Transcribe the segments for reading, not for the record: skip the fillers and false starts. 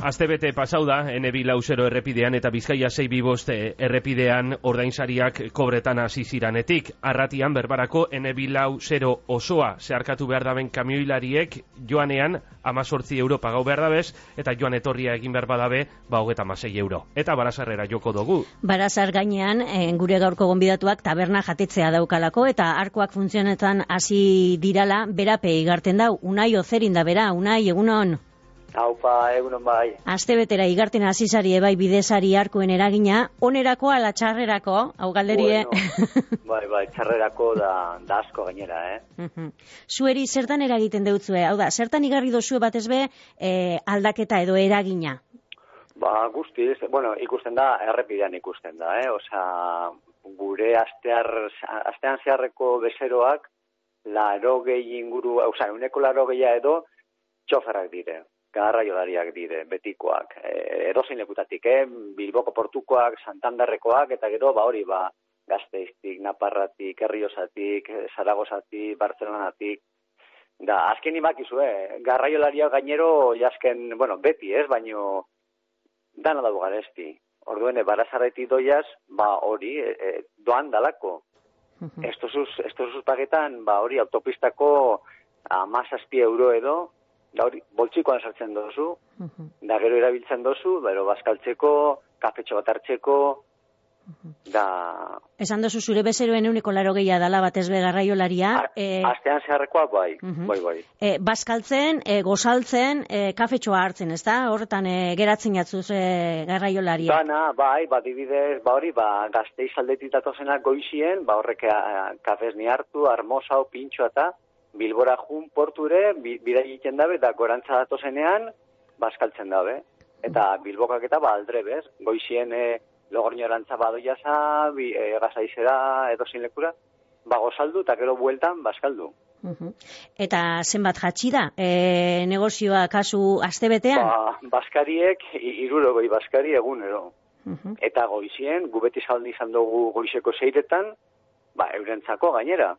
Astebete pasau da, N2 errepidean eta Bizkaia 625 errepidean ordainsariak kobretan hasi ziranetik. Arratian berbarako N2 osoa zeharkatu behar daben kamioilariek joanean 18 euro pagau behar dabez, eta joan etorria egin behar badabe, 26 euro. Eta Barazarrera joko dugu. Barazar gainean, gure gaurko gonbidatuak taberna jatetzea daukalako, eta arkoak funtzionetan hasi dirala, berape igarten dau. Unai Ozerin da bera, Unai, egunon? Haupa, egunon bai. Astebetera igarten hasizari ebai bidezari arkoen eragina, onerako ala txarrerako, hau galderie? Bueno, bai, txarrerako da asko gainera, Zueri zertan eragiten deutzue? Hau da, zertan igarri dozue batez be aldaketa edo eragina? Guztiz, bueno, ikusten da, errepidean ikusten da, Osea, gure astean zeharreko bezeroak, 80 inguru, osea, 180 edo txoferrak dire. Garraiolariak dire, betikoak, edozein lekutatik, Bilboko portukoak, Santanderrekoak, eta gero, Gasteiztik, Naparratik, Herriosatik, Zaragozatik, Bartzelonatik. Da, azken ibakizue, garraiolariak gainero, jasken, bueno, beti baino, dana dago garesti. Orduen, Barazarretik doiaz, hori, doan dalako. Estosuz pagetan, hori, autopistako 17 euro edo, da hori, boltsikoan sartzen dozu, da gero erabiltzen dozu, bero bazkaltzeko, kafetxo bat hartzeko, da... Esan dozu zure bezeroen 180 dala batez be garraiolaria. Astean zeharrekoa, bai. Bazkaltzen, gozaltzen, kafetxoa hartzen, ez da? Horretan geratzen jatzuz garraiolaria. Dana, dibidez, Gasteiz aldetik datozenak goizien, horrek kafez ni hartu, armosao, pintxoa eta Bilbora jun porture, bidai egiten dabe, eta gorantza datozenean, bazkaltzen dabe. Eta Bilbokak eta aldrebez, goizien Logorñorantza badoiaza, Gasaizera edozein lekura, gozaldu eta gero bueltan bazkaldu. Eta zenbat jatxi da, negozioa kasu astebetean? Bazkariek, 60 bazkari egunero. Eta goizien, gubeti zaldi izan dugu goizeko 6etan, eurentzako gainera.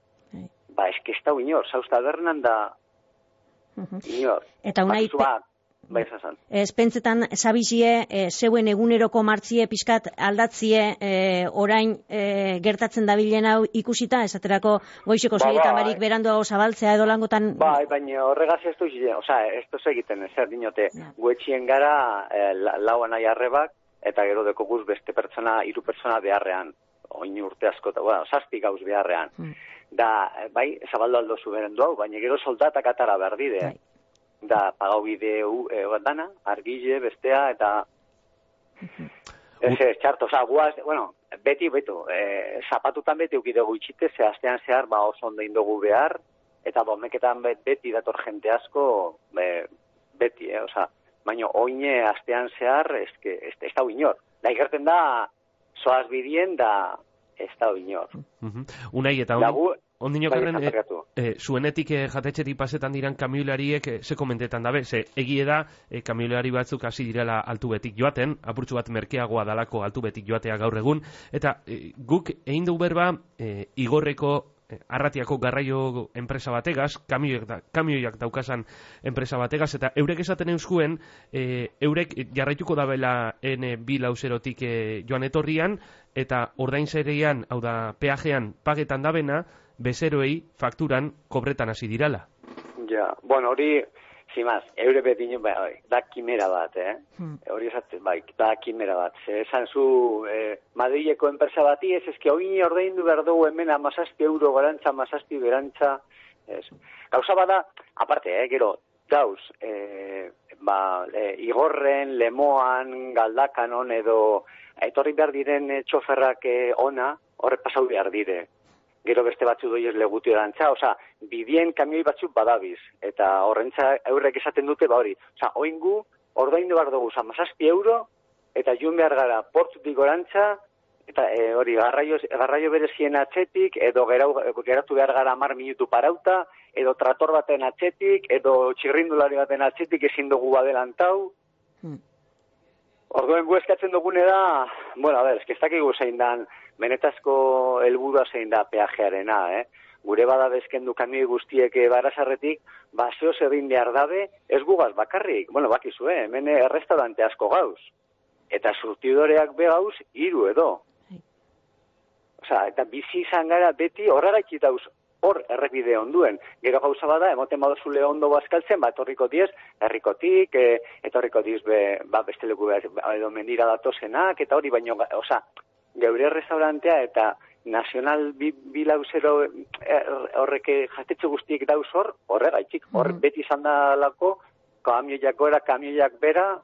Ez da inor, zauz tabernan da inor. Eta unai, espentzetan zabizie, zeuen eguneroko martzie pixkat aldatzie orain gertatzen dabilen hau ikusita, esaterako goizeko 6etan barik beranduago zabaltzea edo langotan... Baina horregaz ez duz egiten, zer dinote, guetxien gara lauan nahi arrebak, eta gero deko guz beste pertsona, 3 pertsona beharrean, oin urte asko, 7 gauz beharrean. Da, zabaldo aldo zuberen duau, baina gero soldatak atara behar dide. Da, pagau bide dana, argile, bestea, eta... Txarto, guaz, beti, zapatutan beti eukidegu itxite, ze astean zehar, oso ondo indogu behar, eta meketan beti dator jente asko, beti, baina oine astean zehar, ez da inor. Da, ikerten da, soaz bidien, da... ez da inor. Unai, eta ondino karren, zuenetik jatetxetik pasetan diran kamioilariek ze komentetan dabe, ze egie da kamioilari batzuk hasi direla altubetik joaten, apurtxu bat merkeagoa dalako altubetik joatea gaur egun, eta guk egin dugu berba Igorreko Arratiako garraio enpresa bategaz, kamioiak daukasan enpresa bategaz, eta eurek esaten euskuen, eurek jarraituko dabela N2 joan etorrian, eta ordainsarean, hau da, peajean pagetan dabena, bezeroei fakturan kobretan hasi dirala. Ja, hori, zimaz, eure betin, da kimera bat, hori esatzen, da kimera bat. Esan zu, Madrileko enpresa bati, ez ezke, hori ordaindu behar dugu hemen 17 euro garantza, 17 berantza, gauza bada, aparte, gero, dauz, Igorren, Lemoan, Galdakanon, edo, etorri behar diren txoferrak ona, horre pasau behar dire. Gero beste batzu doiez legutu erantza, bidien kamioi batzuk badabiz, eta horrentza eurrek esaten dute hori. Oingu, ordaindu behar dugu, 17 euro, eta joan behar gara portutik orantza, eta hori, garraio berezien atzetik, edo geratu behar gara 10 minutu parauta, edo trator baten atzetik, edo txirrindulari baten atzetik ezin dugu adelantau. Orduen gu eskatzen dugune da, ez dakigu zein dan, benetazko helburua zein da peajearena, gure bada bezkendu kamioi guztiek Barazarretik, zehoz egin behar dabe, ez gugaz bakarrik, bakizue, hemen errestaurante asko gauz, eta surtidoreak behauz, 3 edo. Osa, eta bizi izan gara beti horraraiki dauz, hor errepide onduen. Gero gauza bada, emoten badozule ondo bazkaltzen, etorriko diez, herrikotik, etorriko diez, beste leku edo mendira datozenak, eta hori baino, geure restaurantea eta nazional bilauzero horrek jatetxe guztiek dauz horregaitik, hor beti izan dalako, kamioiak gora, kamioiak bera.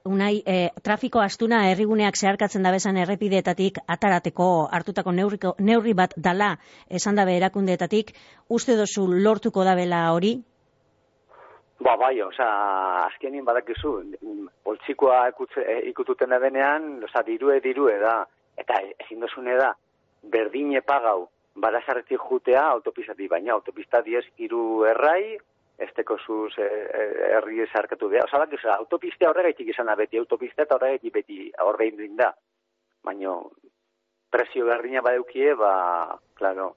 Unai, trafiko astuna herriguneak zeharkatzen dabezan errepideetatik atarateko hartutako neurri bat dala esan dabe erakundeetatik, uste dozu lortuko dabela hori? Bai, azkenin badakizu, poltsikoa ikututen da benean, dirue da, eta ezin dozune da, berdine pagau, Barazarretik jutea autopistatik, baina autopista 3 errai, ez teko zuz herri ezarkatu behar. Autopista horregaitik izan da beti, autopista eta horregaitik beti horrein da. Baina, presio berdina badeukie, klaro.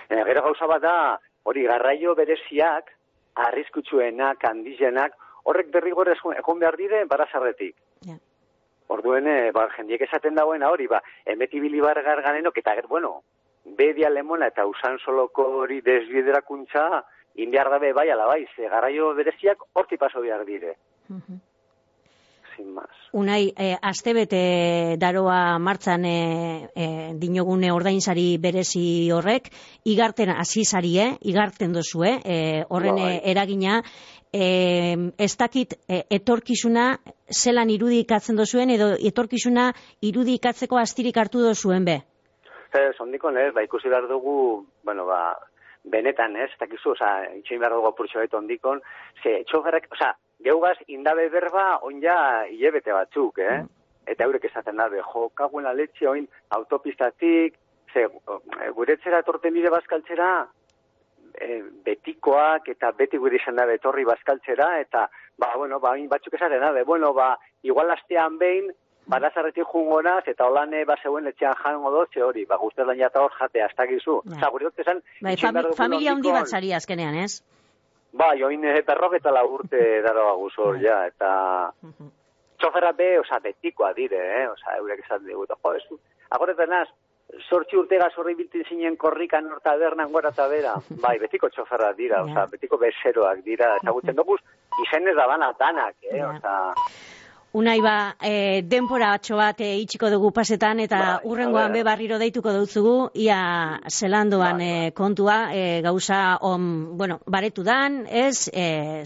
Gero gauza bat da, hori garraio bereziak, arriskutsuenak, handizenak, horrek derrigor egon behar dire Barazarretik. Orduen, jendiek esaten dagoena hori, emetibili bargar ganenok, eta bedia lemona eta usan soloko hori desbiderakuntza, indiar dabe bai ala bai, garraio bereziak horti paso behar dire. Sin más. Unai, astebete daroa martzan dinogune ordainsari berezi horrek, igarten hasizarie, igarten dozue, horren eragina, ez dakit etorkizuna zelan irudikatzen dozuen, edo etorkizuna irudikatzeko astirik hartu dozuen be? Ondikon ez, ikusi behar dugu, benetan ez, dakizu, itxein behar dugu apurtxo gaitu ondikon, txoferrek, geugaz indabe berba onja hilebete batzuk, eta eurek esaten dabe, kaguen aletxe oin autopistatik, guretzera etorten dire bazkaltzera, betikoak eta beti gure izan dabe etorri bazkaltzera, eta, batzuk esaten dabe, igual astean behin, Barazarretik jungonaz, eta holan zeuen etxean jango dotze hori, guztez lan jata hor jatea, ez dakizu. Gure dut esan... Familia handi bat zari azkenean, ez? Oin berrogeta urte daroa guzor, eta... Txoferra betikoa dire, eurek esan dugu, agoretan az, 8 urtega zorri biltin zinen korrikan hor tabernan gora eta bera. Betiko txoferra dira, betiko bezeroak dira, ezagutzen dugu, izenez da bana danak, Unai denpora batxo bat itxiko dugu pasetan, eta urrengoan barriro deituko dutzugu, ia zelandoan kontua, gauza baretu dan, ez,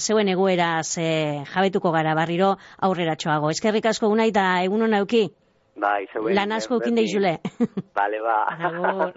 zeuen egoeraz jabetuko gara barriro aurreratxoago. Eskerrik asko Unai, eta egun hona euki? Zeuen. Lan asko eukin deizule. Agur.